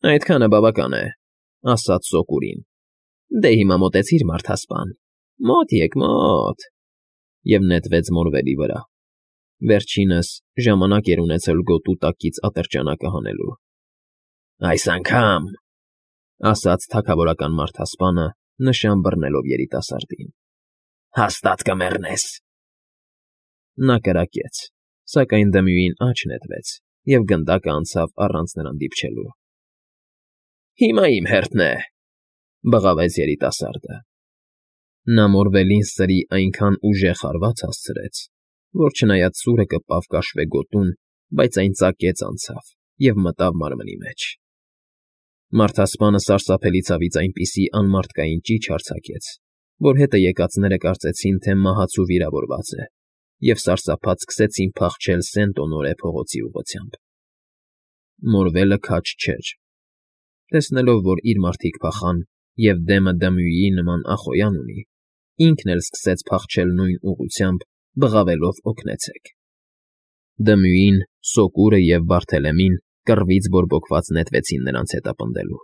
Այդքանը բավական է,֊ ասաց Սոկուրին։ Դե հիմա մոտեցիր, մարդասպան, մոտ եք, մոտ… Եվ նետվեց Մորվելի վրա։ Վերջինս ժամանակ էր ունեցել գոտու տակից ատրճանակը հանելու։ Այս անգամ,֊ ասաց թագավորական մարդասպանը, նշան բռնելով երիտասարդին,֊ հաստատ կմեռնես… Նա կրակեց, սակայն դմյուին աջ նետվեց, և գնդակը անցավ առանց նրան դիպչելու։ Հիմա իմ հերթն է,֊ բղավեց երիտասարդը։ Նա Մորվելին սրի այնքան ուժեղ հարված հասցրեց, որ չնայած սուրը կպավ կաշվե գոտուն, բայց այն ծակեց անցավ և մտավ մարմնի մեջ։ Մարդասպանը սարսափելի ցավից այնպիսի անմարդկային ճիչ արձակեց, որ հետը եկածները կարծեցին, թե մահացու վիրավորված է, և սարսափած սկսեցին փախչել Սենտ֊Օնորե փողոցի ուղղությամբ։ Մորվելը քաջ չէր։ Տեսնելով, որ իր մարդիկ փախան և դեմը դմյուիի նման ախոյան ունի, ինքն էլ սկսեց փախչել նույն ուղղությամբ, բղավելով օգնեցեք… Դմյուին, Սոկուրը և Բարթելեմին կռվից բորբոքված նետվեցին նրանց հետապնդելու։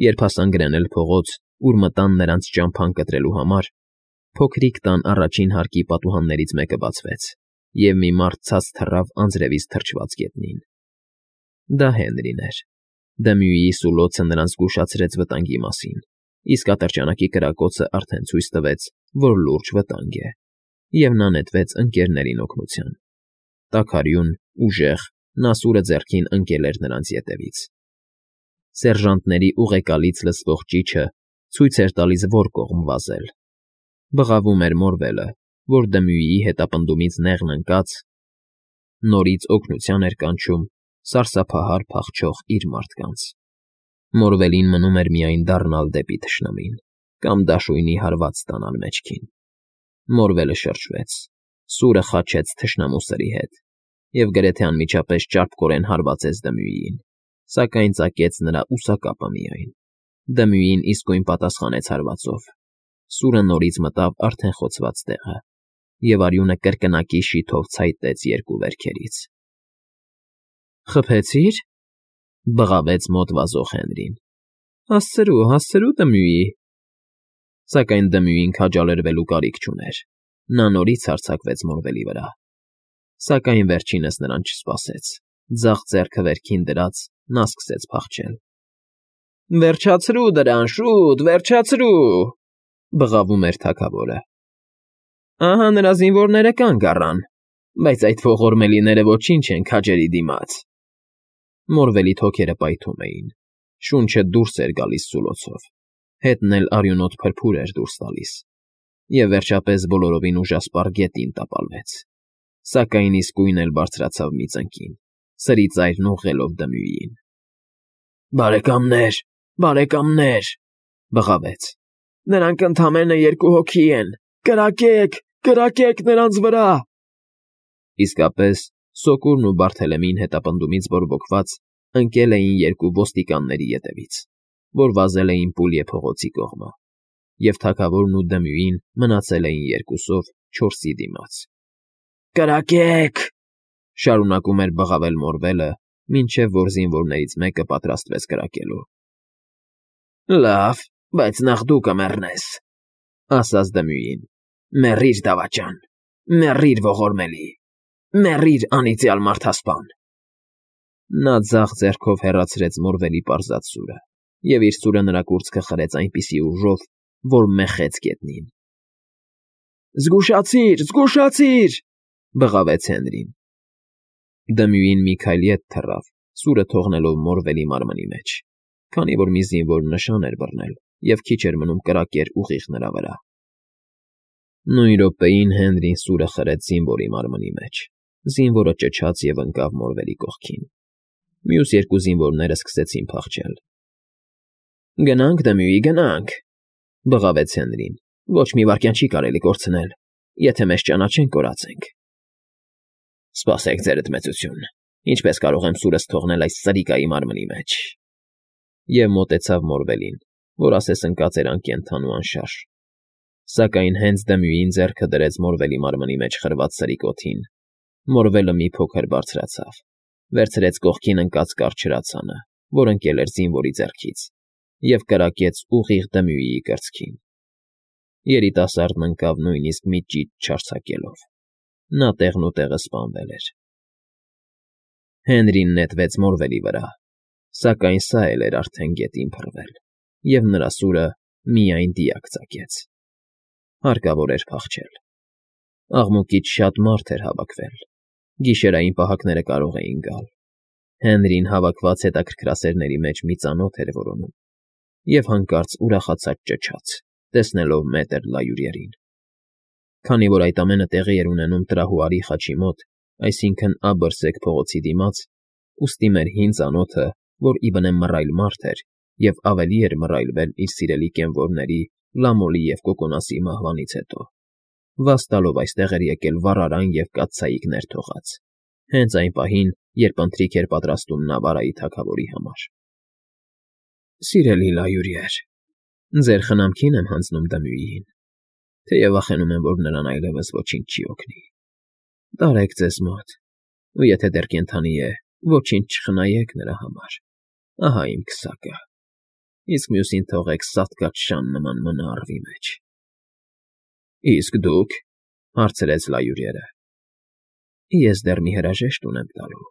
Երբ հասան գրանել փողոց, ուր մտան նրանց ճամփան կտրելու համար, փոքրիկ տան առաջին հարկի պատուհաններից մեկը բացվեց, և մի մարդ ցած թռավ անձրևից թրջված գետնին։ Դա Հենրին էր։ Դմյուիի սուլոցը նրան զգուշացրեց վտանգի մասին, իսկ ատրճանակի կրակոցը արդեն ցույց տվեց, որ լուրջ վտանգ է, և նա նետվեց ընկներներին օգնության։ Տաքարյուն, ուժեղ, նա սուրը ձեռքին ընկել էր նրանց ետևից։ Սերժանտների ուղեկալից լսվող ճիչը ցույց էր տալիս որ կողմ վազել։ Բղավում էր Մորվելը, որ դմյուիի հետապնդումից նեղն ընկած, նորից օգնության էր կանչում սարսափահար փախչող իր մարդկանց։ Մորվելին մնում էր միայն դառնալ դեպի թշնամին կամ դաշույնի հարված ստանալ մեջքին։ Մորվելը շրջվեց, սուրը խաչեց թշնամու սրի հետ և գրեթե անմիջապես ճարպկորեն հարվածեց դմյուիին, սակայն ծակեց նրա ուսակապը միայն։ Դմյուին իսկույն պատասխանեց հարվածով։ Սուրը նորից մտավ արդեն խոցված տեղը, և արյունը կրկնակի շիթով ցայտեց երկու վերքերից։ Խփեցի՞ր,֊ բղավեց մոտ վազող Հենրին։ Հասցրու, հասցրու, դմյուի… Սակայն դմյուին քաջալերվելու կարիք չուներ։ Նա նորից հարձակվեց Մորվելի վրա։ Սակայն վերջինս նրան չսպասեց։ Ձախ ձեռքը վերքին դրած՝ նա սկսեց փախչել։ Վերջացրու դրան, շուտ, վերջացրու,֊ բղավում էր թագավորը։ Ահա նրա զինվորները կանգ առան, բայց այդ ողորմելիները ոչինչ են քաջերի դիմաց… Մորվելի թոքերը պայթում էին, շունչը դուրս էր գալիս սուլոցով, հետն էլ արյունոտ փրփուր էր դուրս տալիս, և վերջապես բոլորովին ուժասպառ գետին տապալվեց, սակայն իսկույն էլ բարձրացավ մի ծնկին, սրի ծայրն ուղղելով դմյուիին։ Բարեկամներ, բարեկամներ,֊ բղավեց,֊ նրանք ընդամենը 2 հոգի են… Կրակեք, կրակեք նրանց վրա… Իսկապես, Սոկուրն ու Բարթելեմին հետապնդումից բորբոքված ընկել էին երկու ոստիկանների ետևից, որ վազել էին Պուլյե փողոցի կողմը, և թագավորն ու դմյուին մնացել էին երկուսով 4-ի դիմաց։ Կրակեք,֊ շարունակում էր բղավել Մորվելը, մինչև որ զինվորներից մեկը պատրաստվեց կրակելու։ Լավ, բայց նախ դու կմեռնես,֊ ասաց դմյուին։ Մեռիր, դավաճան, մեռիր, ողորմելի, մեռիր, անիծյալ մարդասպան… Նա ձախ ձեռքով հեռացրեց Մորվելի պարզած սուրը, և իր սուրը նրա կուրծքը խրեց այնպիսի ուժով, որ մեխեց գետնին։ Զգուշացի՛ր, զգուշացի՛ր,֊ բղավեց Հենրին։ Դմյուին մի քայլ ետ թռավ, սուրը թողնելով Մորվելի մարմնի մեջ, քանի որ մի զինվոր նշան էր բռնել և քիչ էր մնում կրակեր ուղիղ նրա վրա։ Նույն րոպեին Հենրին սուրը խրեց զինվորի մարմնի մեջ, զինվորը ճչաց և ընկավ Մորվելի կողքին։ Մյուս երկու զինվորները սկսեցին փախչել։ Գնանք, դմյուի, գնանք,֊ բղավեց Հենրին։ Ոչ մի վայրկյան չի կարելի կորցնել, եթե մեզ ճանաչեն, կորած ենք։ Սպասեք, ձերդ մեծություն, ինչպես կարող եմ սուրս թողնել այս սրիկայի մարմնի մեջ… Եվ մոտեցավ Մորվելին, որ ասես ընկած էր անկենդան ու անշարժ։ Սակայն հենց դմյուին ձեռքը դրեց Մորվելի մարմնի մեջ խրված սրիկոթին, Մորվելը մի փոքր բարձրացավ, վերցրեց կողքին ընկած կարճ հրացանը որ ընկել էր զինվորի ձեռքից, և կրակեց ուղիղ Դմյուիի կրծքին։ Երիտասարդն ընկավ նույնիսկ մի ճիչ չարձակելով. նա տեղնուտեղը սպանվել էր։ Հենրին նետվեց մորվելի վրա, սակայն սա էլ էր արդեն գետին փռվել, և նրա սուրը միայն դիակ ծակեց։ Հարկավոր էր փախչել։ Աղմուկից շատ մարդ էր հավաքվել, գիշերային պահակները կարող էին գալ։ Հենրին հավաքված հետաքրքրասերների մեջ մի ծանոթ էր որոնում, և հանկարծ ուրախացած ճչաց, տեսնելով մետր Լայուրիերին։ Քանի որ այդ ամենը տեղի էր ունենում Տրահուարի խաչի մոտ, այսինքն՝ աբըրսեկ փողոցի դիմաց, ուստի մեր հին ծանոթը, որ ի բնե մռայլ մարդ էր և ավելի էր մռայլվել իր սիրելի կենվորների՝ Լամոլի և Կոկոնասի մահվանից հետո, վազ տալով այստեղ էր եկել վառարան և կաթսայիկ ներթողած, հենց այն պահին, երբ ընթրիք էր պատրաստում Նավարայի թագավորի համար։ Սիրելի Լայուրիեր, ձեր խնամքին եմ հանձնում Դմյուիին, թեև վախենում եմ, որ նրան այլևս ոչինչ չի օգնի։ Տարեք ձեզ մոտ, ու եթե դեռ կենդանի է, ոչինչ չխնայեք նրա համար, ահա իմ քսակը, իսկ մյուսին թողեք սատկած շան նման մնա առվի մեջ։ ֊ Իսկ դուք,֊ հարցրեց Լայուրիերը։ ֊ Ես դեռ մի հրաժեշտ ունեմ տալու։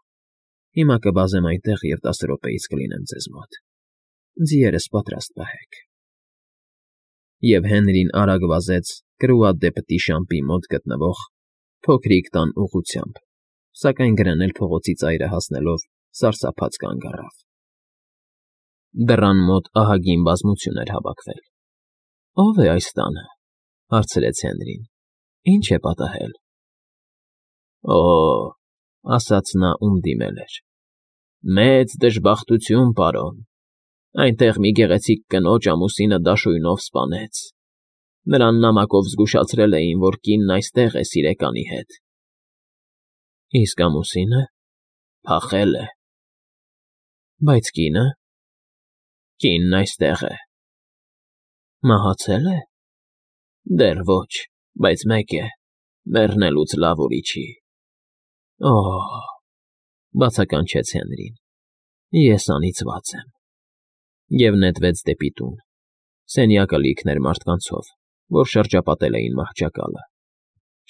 Հիմա կվազեմ այնտեղ և 10 րոպեից կլինեմ ձեզ մոտ։ Ձիերս պատրաստ պահեք։ Եվ Հենրին արագ վազեց Կրուադեպտի շամպի մոտ գտնվող փոքրիկ տան ուղղությամբ, սակայն գրեն էլ փողոցի ծայրը հասնելով սարսափած կանգ առավ։ Դռան մոտ ահագին բազմություն էր հավաքվել։ ֊ Ո՞վ է այս տանը,֊ հարցրեց Հենրին։ ֊ Ի՞նչ է պատահել։ ֊ ասաց նա, ում դիմել էր,֊ մեծ դժբախտություն, պարոն, այնտեղ մի գեղեցիկ կնոջ ամուսինը դաշույնով սպանեց։ Նրան նամակով զգուշացրել էին, որ կինն այստեղ է սիրեկանի հետ։ ֊ Իսկ ամուսինը։ ֊ Փախել է։ ֊ Բայց կինը։ ֊ Կինն այստեղ է։ ֊ Մահացե՞լ է։ ֊ Դեռ ոչ, բայց մեկ է, մեռնելուց լավ ուրիշ չի։ ֊ Օ՜հ,֊ բացականչեց Հենրին,֊ ես անիծված եմ։ Եվ նետվեց դեպի տուն։ Սենյակը լիքն էր մարդկանցով, որ շրջապատել էին մահճակալը։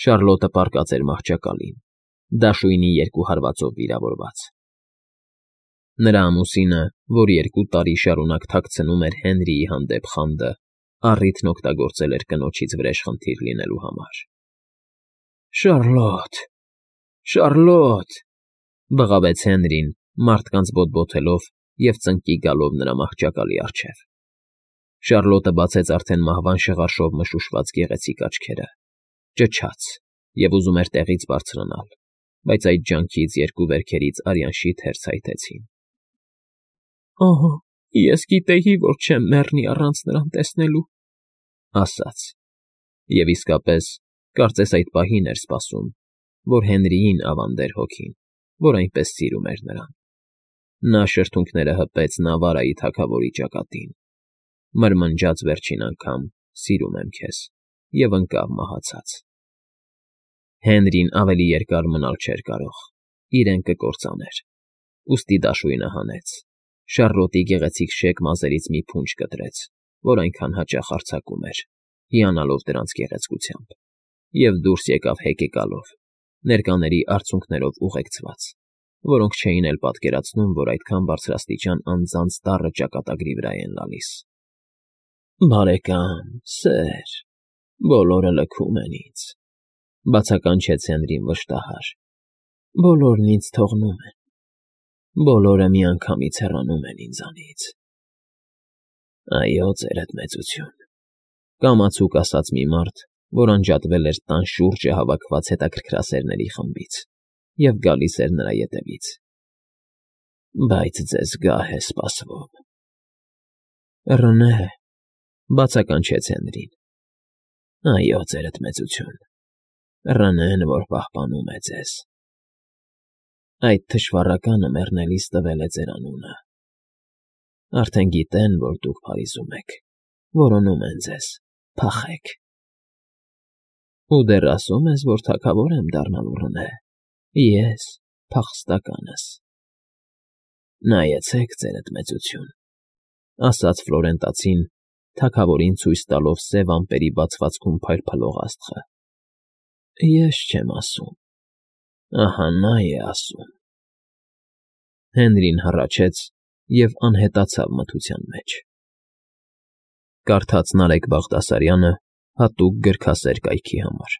Շարլոտը պառկած էր մահճակալին, դաշույնի երկու հարվածով վիրավորված։ Նրա ամուսինը, որ 2 տարի շարունակ թաքցնում էր Հենրիի հանդեպ խանդը, առիթն օգտագործել էր կնոջից վրեժխնդիր լինելու համար։ ֊ Շարլոտ, Շարլոտ,֊ բղավեց Հենրին, մարդկանց բոտբոթելով և ծնկի գալով նրա մահճակալի առջև։ Շարլոտը բացեց արդեն մահվան շղարշով մշուշված գեղեցիկ աչքերը, ճչաց և ուզում էր տեղից բարձրանալ, բայց այդ ջանքից երկու վերքերից արյան շիթեր ցայտեցին։ ֊ Օհ, ես գիտեի, որ չեմ մեռնի առանց նրան տեսնելու,֊ ասաց, և իսկապես, կարծես այդ պահին էր սպասում, որ Հենրիին ավանդեր հոգին, որ այնպես սիրում էր նրան։ Նա շրթունքները հպեց Նավարայի թագավորի ճակատին, մրմնջաց վերջին անգամ «Սիրում եմ քեզ» և ընկավ մահացած։ Հենրին ավելի երկար մնալ չէր կարող, իրեն կկործաներ, ուստի դաշույնը հանեց, Շարլոտի գեղեցիկ շեք մազերից մի փունջ կտրեց, որ այնքան հաճախ արձակում էր, հիանալով դրանց գեղեցկությամբ, և դուրս եկավ հեկեկալով, ներկաների արցունքներով ուղեկցված, որոնք չէին էլ պատկերացնում, որ այդքան բարձրաստիճան անձանց տառը ճակատագրի վրա են լալիս։ ֊ Բարեկամ, սեր, բոլորը լքում են ինձ,֊ բացականչեց Հենրին վշտահար,֊ բոլորն ինձ թողնում են, բոլորը միանգամից հեռանում են ինձանից։ ֊ Այո, ձերդ մեծություն,֊ կամացուկ ասաց մի մարդ, որ անջատվել էր տան շուրջը հավաքված հետաքրքրասերների խմբից և գալիս էր նրա ետևից,֊ բայց ձեզ գահ է սպասվում։ ֊ Ռնե,֊ բացականչեց Հենրին։ ֊ Այո, ձերդ մեծություն, Ռնեն, որ պահպանում է ձեզ։ Այդ թշվառականը մեռնելիս տվել է ձեր անունը։ Արդեն գիտեն, որ դուք Փարիզում եք, որոնում են ձեզ, փախեք։ Ու դեռ ասում ես, որ թագավոր եմ դառնալու, Ռնե, ես, փախստականս։ Նայեցեք, ձերդ մեծություն, ասաց Ֆլորենտացին, թագավորին ցույց տալով սև ամպերի բացվածքում փայլփլող աստղը։ Ես չեմ ասում, ահա նա է ասում։ Հենրին հառաչեց և անհետացավ մթության մեջ։ Կարդաց Նարեկ Բաղդասարյանը հատուկ գրքասեր կայքի համար։